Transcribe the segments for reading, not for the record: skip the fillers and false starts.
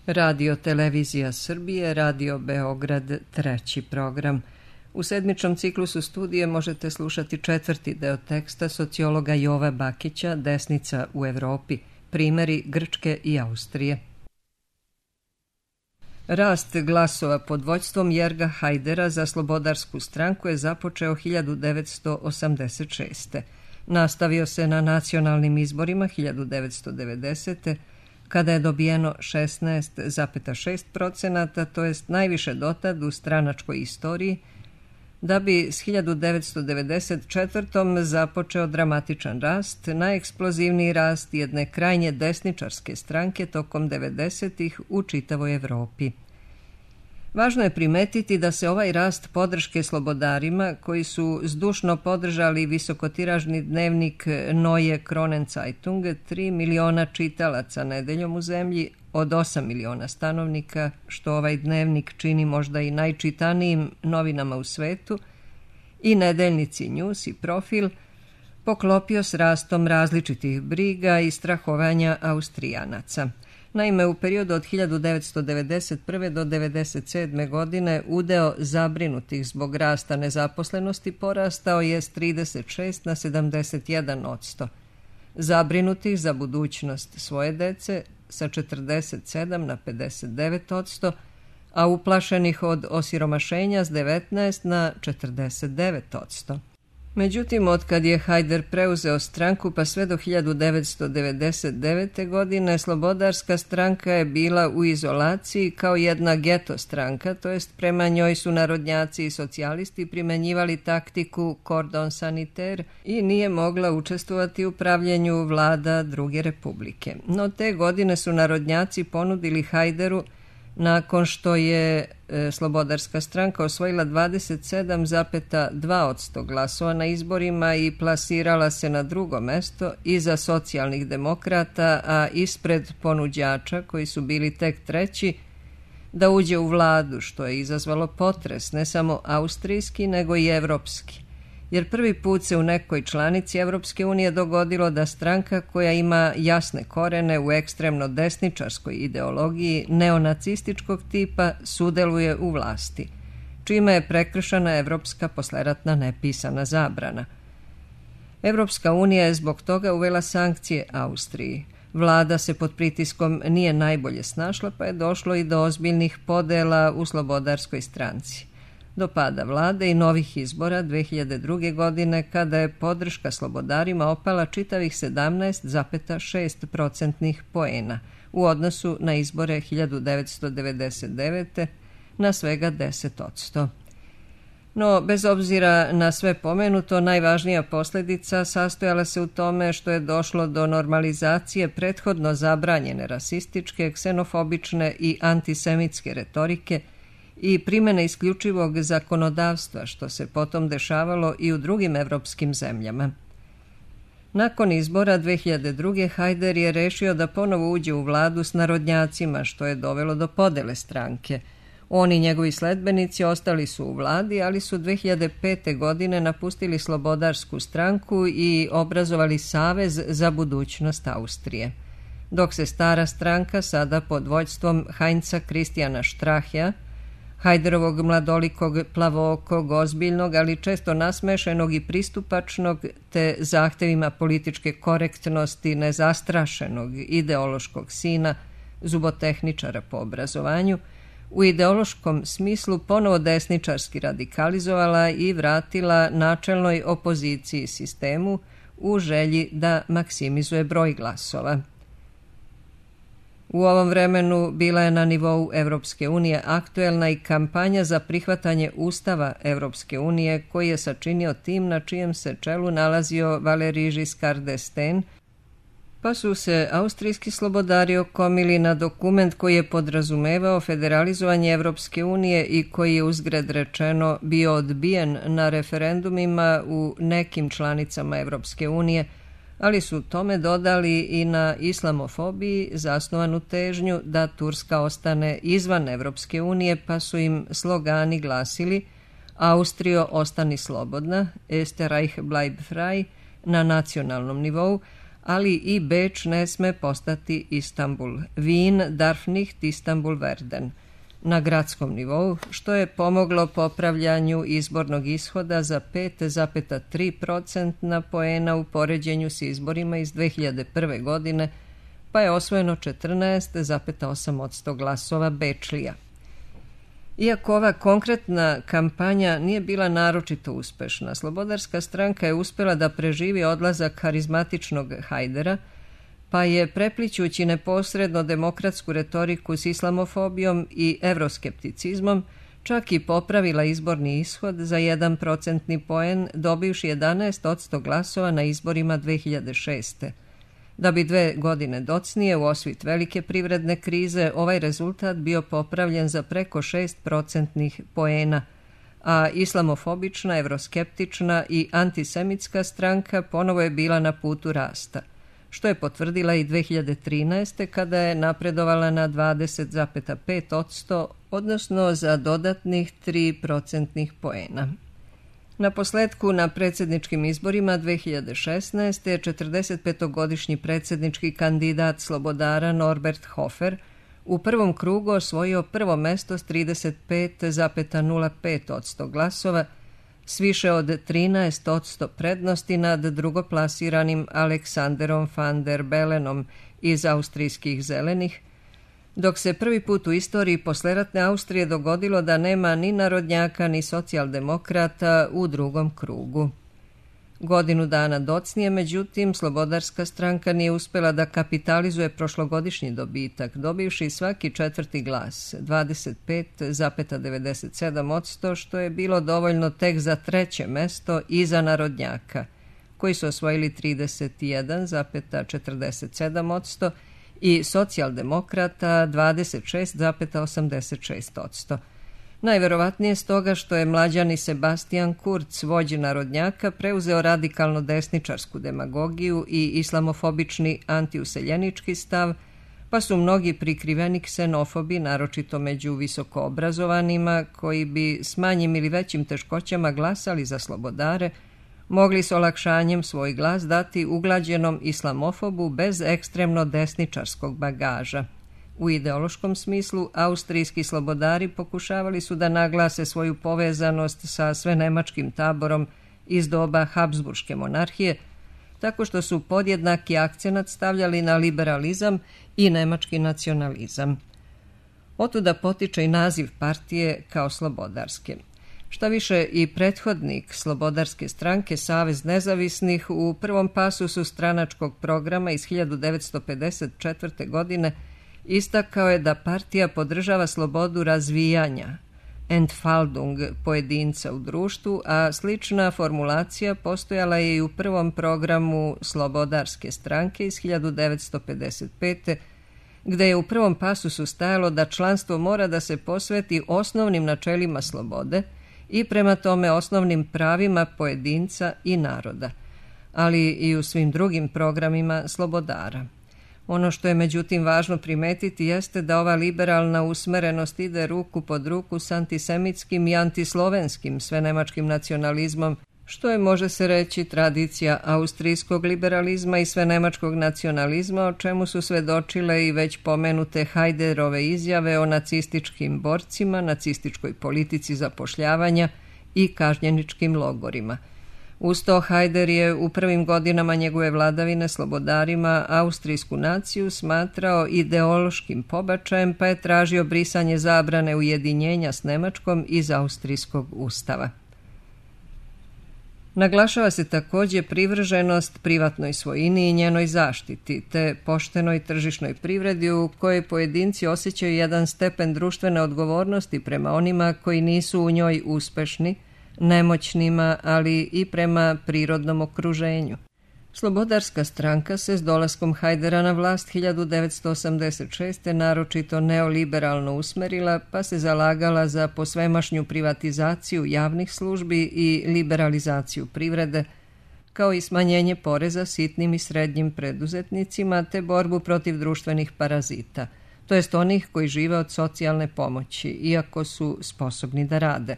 Radio Televizija Srbije, Radio Beograd, treći program. U sedmičnom ciklusu studije možete slušati četvrti deo teksta sociologa Jova Bakića Desnica u Evropi, primjeri Grčke i Austrije. Rast glasova pod vođstvom Jerga Hajdera za Slobodarsku stranku je započeo 1986. Nastavio se na nacionalnim izborima 1990. kada je dobijeno 16,6%, to jest najviše dotad u stranačkoj istoriji, da bi s 1994. započeo dramatičan rast, najeksplozivniji rast jedne krajnje desničarske stranke tokom 90-ih u čitavoj Evropi. Važno je primetiti da se ovaj rast podrške slobodarima, koji su zdušno podržali visokotiražni dnevnik Neue Kronenzeitung, 3 miliona čitalaca nedeljom u zemlji od 8 miliona stanovnika, što ovaj dnevnik čini možda i najčitanijim novinama u svetu, i nedeljnici News i Profil, poklopio s rastom različitih briga i strahovanja Austrijanaca. Naime, u periodu od 1991. do 1997. godine udeo zabrinutih zbog rasta nezaposlenosti porastao je s 36 na 71%, zabrinutih za budućnost svoje dece sa 47 na 59%, a uplašenih od osiromašenja s 19 na 49%. Međutim, otkad je Hajder preuzeo stranku pa sve do 1999. godine, Slobodarska stranka je bila u izolaciji kao jedna geto stranka, to jest prema njoj su narodnjaci i socijalisti primenjivali taktiku cordon sanitaire i nije mogla učestvovati u pravljenju vlada druge republike. No te godine su narodnjaci ponudili Hajderu, nakon što je Slobodarska stranka osvojila 27,2% glasova na izborima i plasirala se na drugo mesto iza socijalnih demokrata, a ispred ponuđača koji su bili tek treći, da uđe u vladu, što je izazvalo potres ne samo austrijski nego i evropski. Jer prvi put se u nekoj članici Evropske unije dogodilo da stranka koja ima jasne korene u ekstremno desničarskoj ideologiji neonacističkog tipa sudeluje u vlasti, čime je prekršena evropska posleratna nepisana zabrana. Evropska unija je zbog toga uvela sankcije Austriji. Vlada se pod pritiskom nije najbolje snašla, pa je došlo i do ozbiljnih podela u Slobodarskoj stranci. Do pada vlade i novih izbora 2002. godine, kada je podrška slobodarima opala čitavih 17,6% poena u odnosu na izbore 1999. na svega 10%. No, bez obzira na sve pomenuto, najvažnija posljedica sastojala se u tome što je došlo do normalizacije prethodno zabranjene rasističke, ksenofobične i antisemitske retorike i primjene isključivog zakonodavstva, što se potom dešavalo i u drugim evropskim zemljama. Nakon izbora 2002. Hajder je rešio da ponovo uđe u vladu s narodnjacima, što je dovelo do podele stranke. On i njegovi sledbenici ostali su u vladi, ali su 2005. godine napustili Slobodarsku stranku i obrazovali Savez za budućnost Austrije. Dok se stara stranka, sada pod vođstvom Heinza Christiana Strachea, Hajderovog mladolikog, plavookog, ozbiljnog, ali često nasmešenog i pristupačnog, te zahtevima političke korektnosti nezastrašenog ideološkog sina, zubotehničara po obrazovanju, u ideološkom smislu ponovo desničarski radikalizovala i vratila načelnoj opoziciji sistemu u želji da maksimizuje broj glasova. U ovom vremenu bila je na nivou Evropske unije aktuelna i kampanja za prihvatanje Ustava Evropske unije, koji je sačinio tim na čijem se čelu nalazio Valéry Giscard d'Estaing, pa su se austrijski slobodari okomili na dokument koji je podrazumevao federalizovanje Evropske unije i koji je uzgred rečeno bio odbijen na referendumima u nekim članicama Evropske unije, ali su tome dodali i na islamofobiji zasnovanu težnju da Turska ostane izvan Evropske unije, pa su im slogani glasili Austrio ostani slobodna, Österreich bleib frei na nacionalnom nivou, ali i Beč ne sme postati Istanbul. Wien darf nicht Istanbul werden na gradskom nivou, što je pomoglo popravljanju izbornog ishoda za 5,3% poena u poređenju s izborima iz 2001. godine, pa je osvojeno 14,8% glasova Bečlija. Iako ova konkretna kampanja nije bila naročito uspešna, Slobodarska stranka je uspjela da preživi odlazak harizmatičnog Hajdera, pa je preplićući neposredno demokratsku retoriku s islamofobijom i evroskepticizmom čak i popravila izborni ishod za 1% poen, dobivši 11% glasova na izborima 2006. Da bi 2 godine docnije u osvit velike privredne krize ovaj rezultat bio popravljen za preko 6% poena, a islamofobična, evroskeptična i antisemitska stranka ponovo je bila na putu rasta, što je potvrdila i 2013. kada je napredovala na 20,5%, odnosno za dodatnih 3% poena. Na posledku na predsjedničkim izborima 2016. je 45-godišnji predsjednički kandidat Slobodara Norbert Hofer u prvom krugu osvojio prvo mesto s 35,05% glasova, s više od 13% prednosti nad drugoplasiranim Aleksanderom van der Bellenom iz austrijskih zelenih, dok se prvi put u istoriji posleratne Austrije dogodilo da nema ni narodnjaka ni socijaldemokrata u drugom krugu. Godinu dana docnije, međutim, Slobodarska stranka nije uspjela da kapitalizuje prošlogodišnji dobitak, dobivši svaki 4. glas, 25,97%, što je bilo dovoljno tek za 3. mesto iza narodnjaka, koji su osvojili 31,47%, i socijaldemokrata 26,86%. Najverovatnije stoga što je mlađani Sebastian Kurz, vođa narodnjaka, preuzeo radikalno desničarsku demagogiju i islamofobični antiuseljenički stav, pa su mnogi prikriveni ksenofobi, naročito među visokoobrazovanima, koji bi s manjim ili većim teškoćama glasali za Slobodare, mogli s olakšanjem svoj glas dati uglađenom islamofobu bez ekstremno desničarskog bagaža. U ideološkom smislu, austrijski slobodari pokušavali su da naglase svoju povezanost sa svenemačkim taborom iz doba Habsburške monarhije, tako što su podjednaki akcenat stavljali na liberalizam i nemački nacionalizam. Otuda potiče i naziv partije kao slobodarske. Šta više, i prethodnik Slobodarske stranke, Savez nezavisnih, u prvom pasusu stranačkog programa iz 1954. godine istakao je da partija podržava slobodu razvijanja, Entfaltung, pojedinca u društvu, a slična formulacija postojala je i u prvom programu Slobodarske stranke iz 1955. gde je u prvom pasusu stajalo da članstvo mora da se posveti osnovnim načelima slobode i prema tome osnovnim pravima pojedinca i naroda, ali i u svim drugim programima slobodara. Ono što je međutim važno primetiti jeste da ova liberalna usmerenost ide ruku pod ruku s antisemitskim i antislovenskim svenemačkim nacionalizmom, što je, može se reći, tradicija austrijskog liberalizma i svenemačkog nacionalizma, o čemu su svedočile i već pomenute Hajderove izjave o nacističkim borcima, nacističkoj politici zapošljavanja i kažnjeničkim logorima. Uz to Hajder je u prvim godinama njegove vladavine slobodarima austrijsku naciju smatrao ideološkim pobačajem, pa je tražio brisanje zabrane ujedinjenja s Nemačkom iz austrijskog ustava. Naglašava se također privrženost privatnoj svojini i njenoj zaštiti, te poštenoj tržišnoj privredi u kojoj pojedinci osjećaju jedan stepen društvene odgovornosti prema onima koji nisu u njoj uspešni, nemoćnima, ali i prema prirodnom okruženju. Slobodarska stranka se s dolaskom Hajdera na vlast 1986. naročito neoliberalno usmerila, pa se zalagala za posvemašnju privatizaciju javnih službi i liberalizaciju privrede, kao i smanjenje poreza sitnim i srednjim preduzetnicima te borbu protiv društvenih parazita, to jest onih koji žive od socijalne pomoći, iako su sposobni da rade.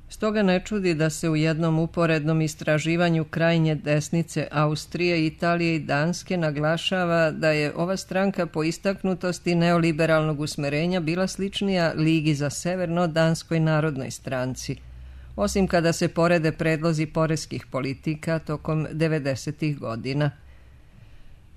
Stoga ne čudi da se u jednom uporednom istraživanju krajnje desnice Austrije, Italije i Danske naglašava da je ova stranka po istaknutosti neoliberalnog usmerenja bila sličnija Ligi za severno Danskoj narodnoj stranci, osim kada se porede predlozi poreskih politika tokom 90. godina.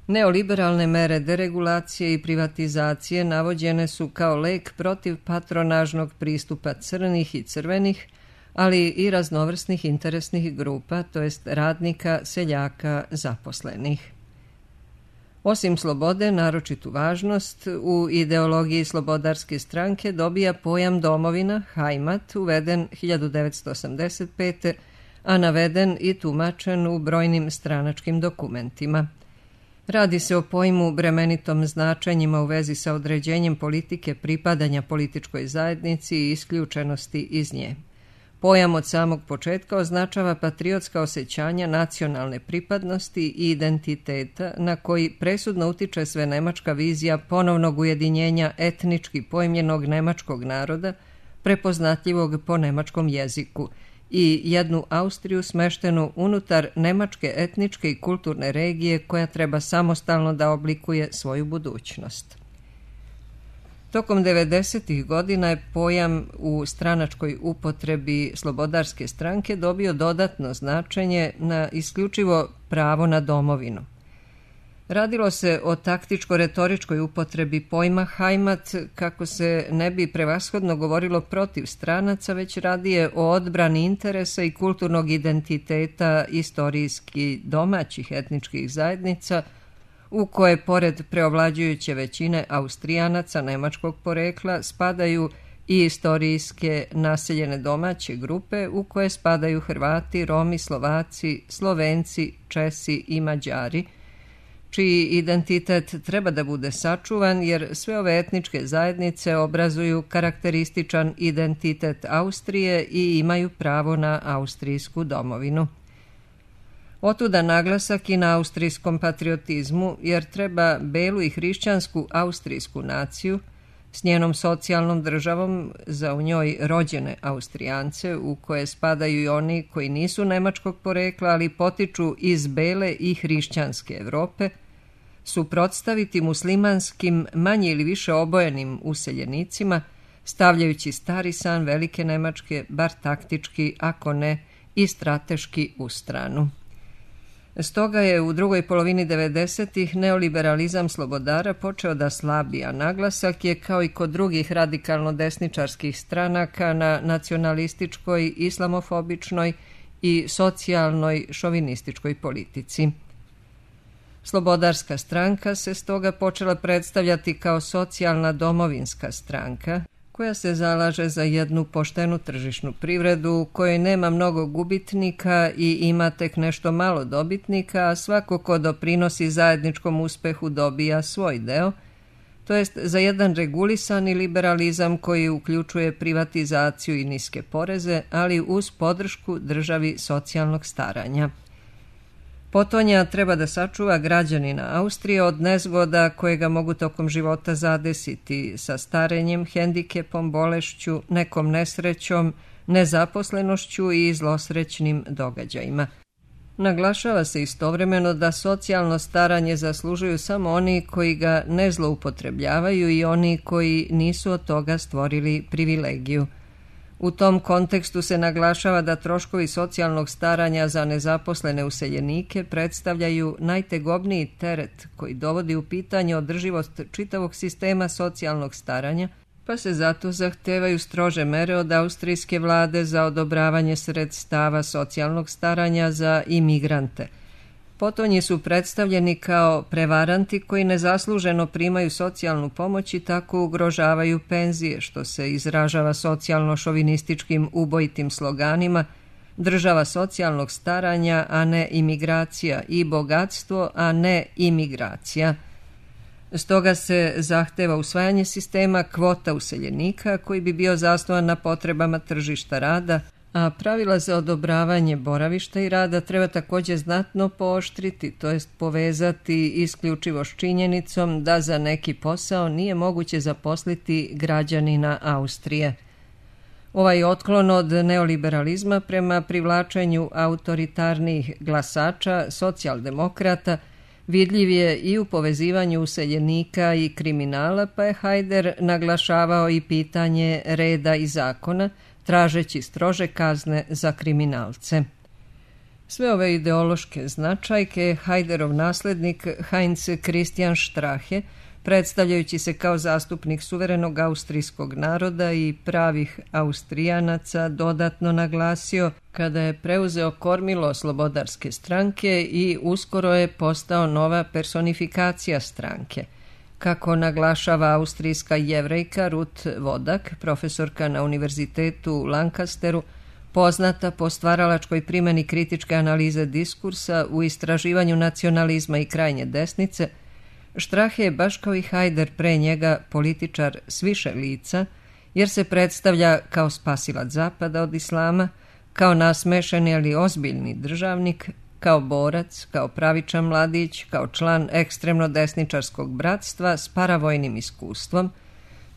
Neoliberalne mere deregulacije i privatizacije navođene su kao lek protiv patronažnog pristupa crnih i crvenih, ali i raznovrsnih interesnih grupa, to jest radnika, seljaka, zaposlenih. Osim slobode, naročitu važnost u ideologiji slobodarske stranke dobija pojam domovina, Heimat, uveden 1985. a naveden i tumačen u brojnim stranačkim dokumentima. Radi se o pojmu bremenitom značenjima u vezi sa određenjem politike pripadanja političkoj zajednici i isključenosti iz nje. Pojam od samog početka označava patriotska osjećanja nacionalne pripadnosti i identiteta na koji presudno utiče svenemačka vizija ponovnog ujedinjenja etnički pojmljenog nemačkog naroda, prepoznatljivog po nemačkom jeziku, i jednu Austriju smeštenu unutar nemačke etničke i kulturne regije koja treba samostalno da oblikuje svoju budućnost. Tokom 90. godina je pojam u stranačkoj upotrebi slobodarske stranke dobio dodatno značenje na isključivo pravo na domovinu. Radilo se o taktičko-retoričkoj upotrebi pojma Heimat kako se ne bi prevashodno govorilo protiv stranaca, već radije o odbrani interesa i kulturnog identiteta istorijski domaćih etničkih zajednica, u koje pored preovlađujuće većine Austrijanaca nemačkog porekla spadaju i istorijske naseljene domaće grupe u koje spadaju Hrvati, Romi, Slovaci, Slovenci, Česi i Mađari, čiji identitet treba da bude sačuvan jer sve ove etničke zajednice obrazuju karakterističan identitet Austrije i imaju pravo na austrijsku domovinu. Otuda naglasak i na austrijskom patriotizmu, jer treba belu i hrišćansku austrijsku naciju s njenom socijalnom državom za u njoj rođene Austrijance, u koje spadaju i oni koji nisu nemačkog porekla, ali potiču iz bele i hrišćanske Evrope, suprotstaviti muslimanskim, manje ili više obojenim useljenicima, stavljajući stari san velike Nemačke, bar taktički, ako ne i strateški, u stranu. Stoga je u drugoj polovini 90. neoliberalizam slobodara počeo da slabi, a naglasak je, kao i kod drugih radikalno-desničarskih stranaka, na nacionalističkoj, islamofobičnoj i socijalnoj šovinističkoj politici. Slobodarska stranka se stoga počela predstavljati kao socijalna domovinska stranka, koja se zalaže za jednu poštenu tržišnu privredu u kojoj nema mnogo gubitnika i ima tek nešto malo dobitnika, a svako ko doprinosi zajedničkom uspehu dobija svoj deo, to jest za jedan regulisani liberalizam koji uključuje privatizaciju i niske poreze, ali uz podršku državi socijalnog staranja. Potonja treba da sačuva građanina Austrije od nezgoda koje ga mogu tokom života zadesiti sa starenjem, hendikepom, bolešću, nekom nesrećom, nezaposlenošću i zlosrećnim događajima. Naglašava se istovremeno da socijalno staranje zaslužuju samo oni koji ga ne zloupotrebljavaju i oni koji nisu od toga stvorili privilegiju. U tom kontekstu se naglašava da troškovi socijalnog staranja za nezaposlene useljenike predstavljaju najtegobniji teret koji dovodi u pitanje održivost čitavog sistema socijalnog staranja, pa se zato zahtevaju strože mere od austrijske vlade za odobravanje sredstava socijalnog staranja za imigrante. Potonji su predstavljeni kao prevaranti koji nezasluženo primaju socijalnu pomoć i tako ugrožavaju penzije, što se izražava socijalno-šovinističkim ubojitim sloganima država socijalnog staranja, a ne imigracija, i bogatstvo, a ne imigracija. Stoga se zahteva usvajanje sistema kvota useljenika koji bi bio zasnovan na potrebama tržišta rada, a pravila za odobravanje boravišta i rada treba također znatno pooštriti, to jest povezati isključivo s činjenicom da za neki posao nije moguće zaposliti građanina Austrije. Ovaj otklon od neoliberalizma prema privlačenju autoritarnih glasača socijaldemokrata vidljiv je i u povezivanju useljenika i kriminala, pa je Hajder naglašavao i pitanje reda i zakona, tražeći strože kazne za kriminalce. Sve ove ideološke značajke Hajderov naslednik Heinz Christian Strache, predstavljajući se kao zastupnik suverenog austrijskog naroda i pravih Austrijanaca, dodatno naglasio kada je preuzeo kormilo Slobodarske stranke i uskoro je postao nova personifikacija stranke. Kako naglašava austrijska Jevrejka Ruth Wodak, profesorka na univerzitetu u Lancasteru, poznata po stvaralačkoj primjeni kritičke analize diskursa u istraživanju nacionalizma i krajnje desnice, Strache je, baš kao i Hajder pre njega, političar s više lica, jer se predstavlja kao spasilac zapada od islama, kao nasmešeni ali ozbiljni državnik, kao borac, kao pravičan mladić, kao član ekstremno desničarskog bratstva s paravojnim iskustvom,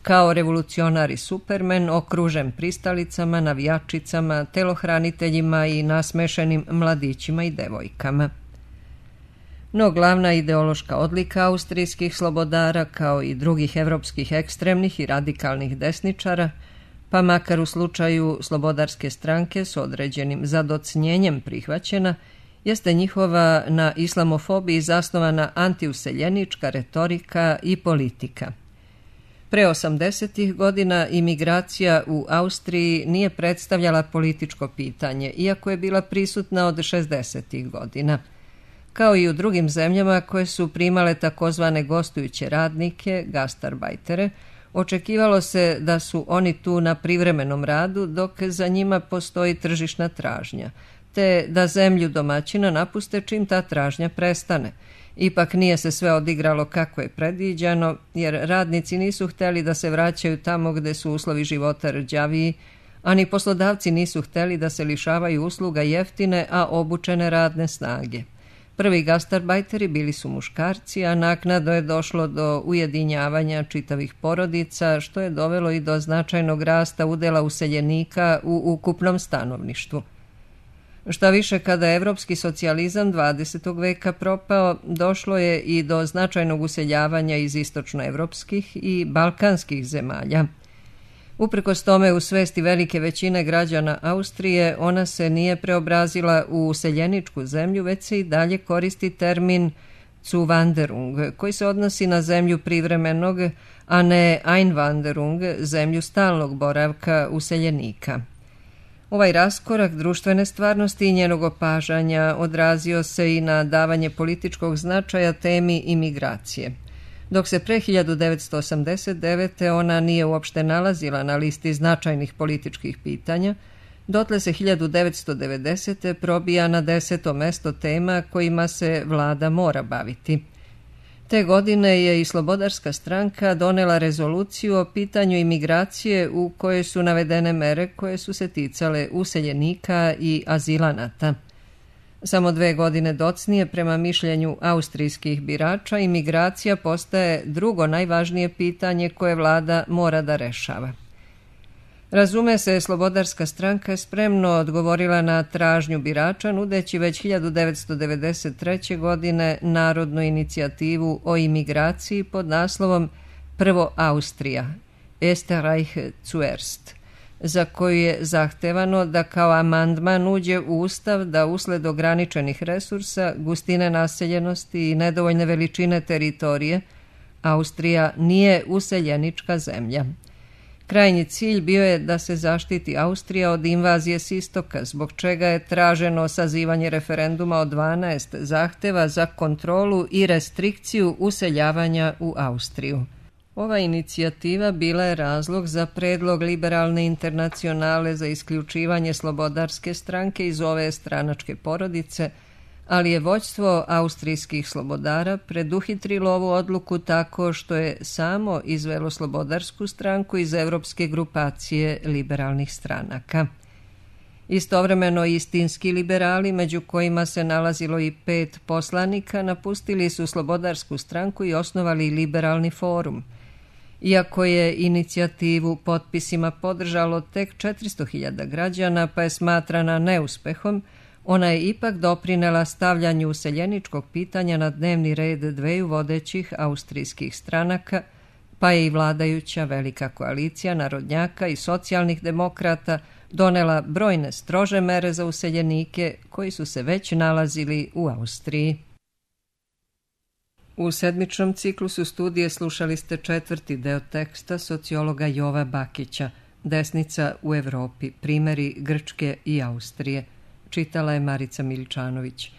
kao revolucionar i supermen okružen pristalicama, navijačicama, telohraniteljima i nasmešenim mladićima i devojkama. No glavna ideološka odlika austrijskih slobodara, kao i drugih evropskih ekstremnih i radikalnih desničara, pa makar u slučaju Slobodarske stranke s određenim zadocnjenjem prihvaćena, jeste njihova na islamofobiji zasnovana antiuseljenička retorika i politika. Pre 80. godina imigracija u Austriji nije predstavljala političko pitanje, iako je bila prisutna od 60. godina. Kao i u drugim zemljama koje su primale takozvane gostujuće radnike, gastarbajtere, očekivalo se da su oni tu na privremenom radu dok za njima postoji tržišna tražnja, te da zemlju domaćina napuste čim ta tražnja prestane. Ipak nije se sve odigralo kako je predviđano, jer radnici nisu hteli da se vraćaju tamo gde su uslovi života rđaviji, a ni poslodavci nisu hteli da se lišavaju usluga jeftine, a obučene radne snage. Prvi gastarbajteri bili su muškarci, a naknadno je došlo do ujedinjavanja čitavih porodica, što je dovelo i do značajnog rasta udela useljenika u ukupnom stanovništvu. Šta više, kada je evropski socijalizam 20. veka propao, došlo je i do značajnog useljavanja iz istočnoevropskih i balkanskih zemalja. Uprkos tome, u svesti velike većine građana Austrije, ona se nije preobrazila u useljeničku zemlju, već se i dalje koristi termin Zuwanderung, koji se odnosi na zemlju privremenog, a ne Einwanderung, zemlju stalnog boravka useljenika. Ovaj raskorak društvene stvarnosti i njenog opažanja odrazio se i na davanje političkog značaja temi imigracije. Dok se pre 1989. ona nije uopšte nalazila na listi značajnih političkih pitanja, dotle se 1990. probija na 10. mesto tema kojima se vlada mora baviti. Te godine je i Slobodarska stranka donela rezoluciju o pitanju imigracije u kojoj su navedene mere koje su se ticale useljenika i azilanata. Samo 2 godine docnije, prema mišljenju austrijskih birača, imigracija postaje drugo najvažnije pitanje koje vlada mora da rešava. Razume se, Slobodarska stranka je spremno odgovorila na tražnju birača, nudeći već 1993. godine narodnu inicijativu o imigraciji pod naslovom Prvo Austrija, Erster Reich zuerst, za koju je zahtevano da kao amandman uđe u Ustav da usled ograničenih resursa, gustine naseljenosti i nedovoljne veličine teritorije, Austrija nije useljenička zemlja. Krajnji cilj bio je da se zaštiti Austrija od invazije s istoka, zbog čega je traženo sazivanje referenduma od 12 zahteva za kontrolu i restrikciju useljavanja u Austriju. Ova inicijativa bila je razlog za predlog Liberalne internacionale za isključivanje Slobodarske stranke iz ove stranačke porodice, ali je vođstvo austrijskih slobodara preduhitrilo ovu odluku tako što je samo izvelo Slobodarsku stranku iz evropske grupacije liberalnih stranaka. Istovremeno istinski liberali, među kojima se nalazilo i 5 poslanika, napustili su Slobodarsku stranku i osnovali Liberalni forum. Iako je inicijativu potpisima podržalo tek 400.000 građana, pa je smatrana neuspehom, ona je ipak doprinela stavljanju useljeničkog pitanja na dnevni red dveju vodećih austrijskih stranaka, pa je i vladajuća velika koalicija narodnjaka i socijalnih demokrata donela brojne strože mere za useljenike koji su se već nalazili u Austriji. U sedmičnom ciklusu studije slušali ste 4. deo teksta sociologa Jova Bakića Desnica u Evropi, primjeri Grčke i Austrije. Čitala je Marica Miličanović.